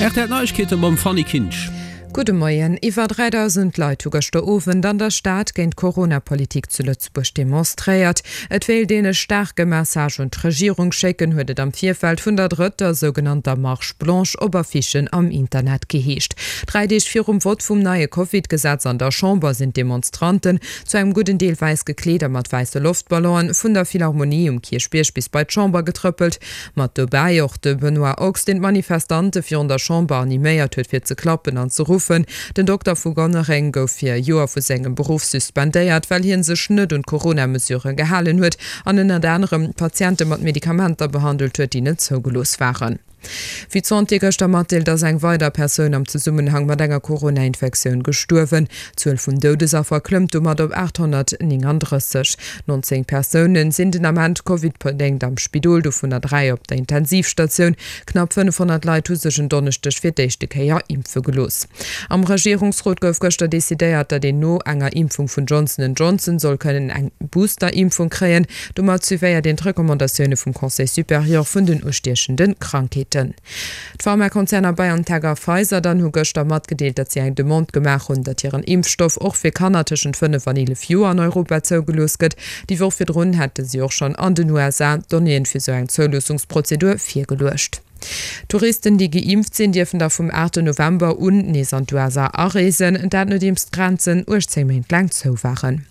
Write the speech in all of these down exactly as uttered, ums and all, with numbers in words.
R T L Neiegkeete mam Fanny Kinsch. Gudde Moien. Iwwer dräidausend Leit hu gëschter Owend an der Stad géint d'Corona-Politik zu Lëtzebuerg demonstréiert. Et wéilt een e staarke Message un d'Regierung schécken, huet et am Virfeld vun der drëtter sougenannter Marche blanche op Affichen am Internet geheescht. Dräi Deeg virum Vott vum neie Covid-Gesetz an der Chamber sinn d'Demonstranten, zu engem gudden Deel wäiss gekleet a mat wäisse Loftballonen, vun der Philharmonie um Kierchbierg bis bei d'Chamber getrëppelt. Mat dobäi och de Benoît Ochs, deen d'Manifestante virun der Chamber animéiert huet fir ze klappen an ze ruffen. Den Dokter vu Gonnereng gouf fir e Joer vu sengem Beruff suspendéiert, well hie sech net un d'Corona-Mesurë gehalen huet an ënnert anerem Patiente mat Medikamenter behandelt huet, déi net zougelooss waren. Wéi d'Santé gëschter matdeelt, ass eng weider Persoun am Zesummenhang mat enger Corona-Infektioun gestuerwen. D'Zuel vun Doudesaffer klëmmt domat op aathonnertnénganddrësseg. Nonzéng Persoune sinn den Ament Covid-bedéngt am Spidol, dovunner dräi op der Intensivstatioun. Knapp fënnefhonnert Leit hu sech en Donneschdeg fir d'éischte Kéier impfe gelooss. Am Regierungsrot gouf gëschter decidéiert, datt een no enger Impfung vun Johnson and Johnson soll kënnen eng Booster-Impfung kréien. Domat suivéiert een d'Recommandatioune vum Conseil supérieur vun den ustiechende Krankheeten. D'Pharmakonzerner BioNTech a Pfizer dann hu gëschter matgedeelt, datt si eng Demande gemaach hunn, datt hiren Impfstoff och fir Kanner tëschent fënnef an eelef Joer an Europa zougelooss gëtt. Déi Woch virdrun hätte si och schonn an den U S A d'Donnéeën fir sou eng Zouloossungsprozedur virgeluecht. Touristen, déi geimpft sinn, dierfen da vum aachten November un nees an d'U S A areesen, dat nodeems d'Grenzen uechtzéng Méint laang zou waren.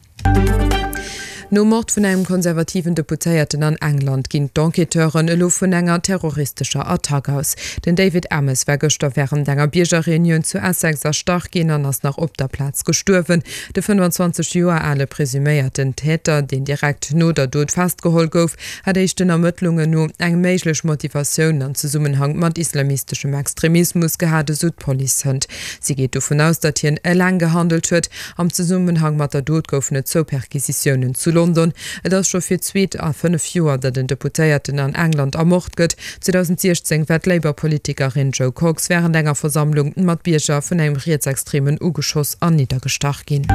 Nom Mord vun engem konservativen Deputéierten an England ginn d'Enquêteuren elo vun enger terroristescher Attack aus. Den David Amess war gëschter wärend enger Biergerreunioun zu Essex erstach ginn an ass nach op der Plaz gestuerwen. De fënnefanzwanzeg Joer ale presuméierten Täter, deen direkt no der Dot festgeholl gouf, hat éischten Ermëttlungen no eng méiglech Motivatioun an Zesummenhang mat islamisteschem Extremismus gehat, esou d'Police hënt. Si geet dovun aus, datt hien eleng gehandelt huet. Am Zesummenhang mat der Dot goufen et zwou Perquisitiounen zu London. Et ass scho fir d'zweet a fënnef Joer, datt en Deputéierten an England ermort gëtt. zweedausendsiechzéng war d'Labour-Politikerin Jo Cox wärend enger Versammlung mat Bierger vun engem Rietsextremen ugeschoss an niddergestach ginn.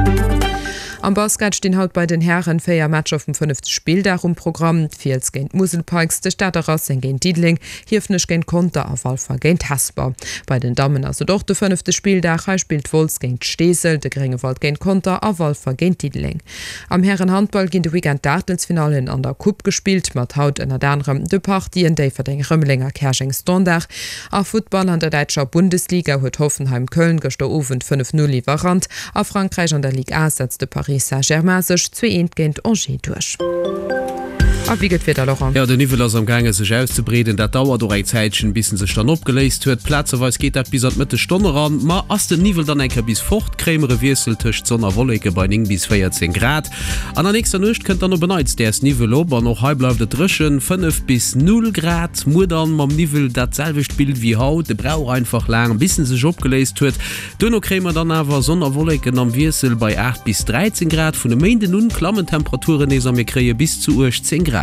Am Basket stinn haut bei den Hären véier Matcher vum fënnefte Spilldag um Programm, D'Fiels géint d'Musel Pikes, de Stater Racing géint Diddeleng, Hiefenech géint Conter a Walfer géint Hesper. Bei den Dammen ass et och de fënnefte Spilldag, hei spillt Wolz géint Steesel, de Gréngewald géint Conter a Walfer géint Diddeleng. Am Hären-Handball ginn de Weekend d'Aachtelsfinallen an der Coupe gespillt, mat haut ënnert anerem de Partien Déifferdeng-Rëmeleng a Käerjeng-Standard. A Futtball, An der däitscher Bundesliga huet Hoffenheim Köln gëschter Owend fënnef Null iwwerrannt. A Frankräich an der Ligue A setzt de Paris Saint-Germain sech zwee eent géint Angers duerch. A wéi gëtt d'Wieder, Laurent? Jo, den Niwwel ass am gaange sech auszebreeden. Dat dauert och eng Zäitchen, bis en sech dann opgeléist huet. Plazeweis geet dat bis an d'Mëttesstonn eran. Ma ass den Niwwel dann eng Kéier bis fort, kréie mer e Wiessel tëscht Sonn a Wolleke bei néng bis véierzéng Grad. An der nächster Nuecht kënnt dann op en Neits däers Niwwel op an och hei bleift et dréchen, fënnef bis null Grad. Muer dann mam Niwwel dat selwecht Bild wéi haut, e brauch einfach laang, bis en sech opgeléist huet. Duerno kréie mer dann awer Sonn a Wolleken am Wiessel bei aacht bis dräizéng Grad. Vun e Méinden un klammen d'Temperaturen nees a mir kréie bis zu uechtzéng Grad.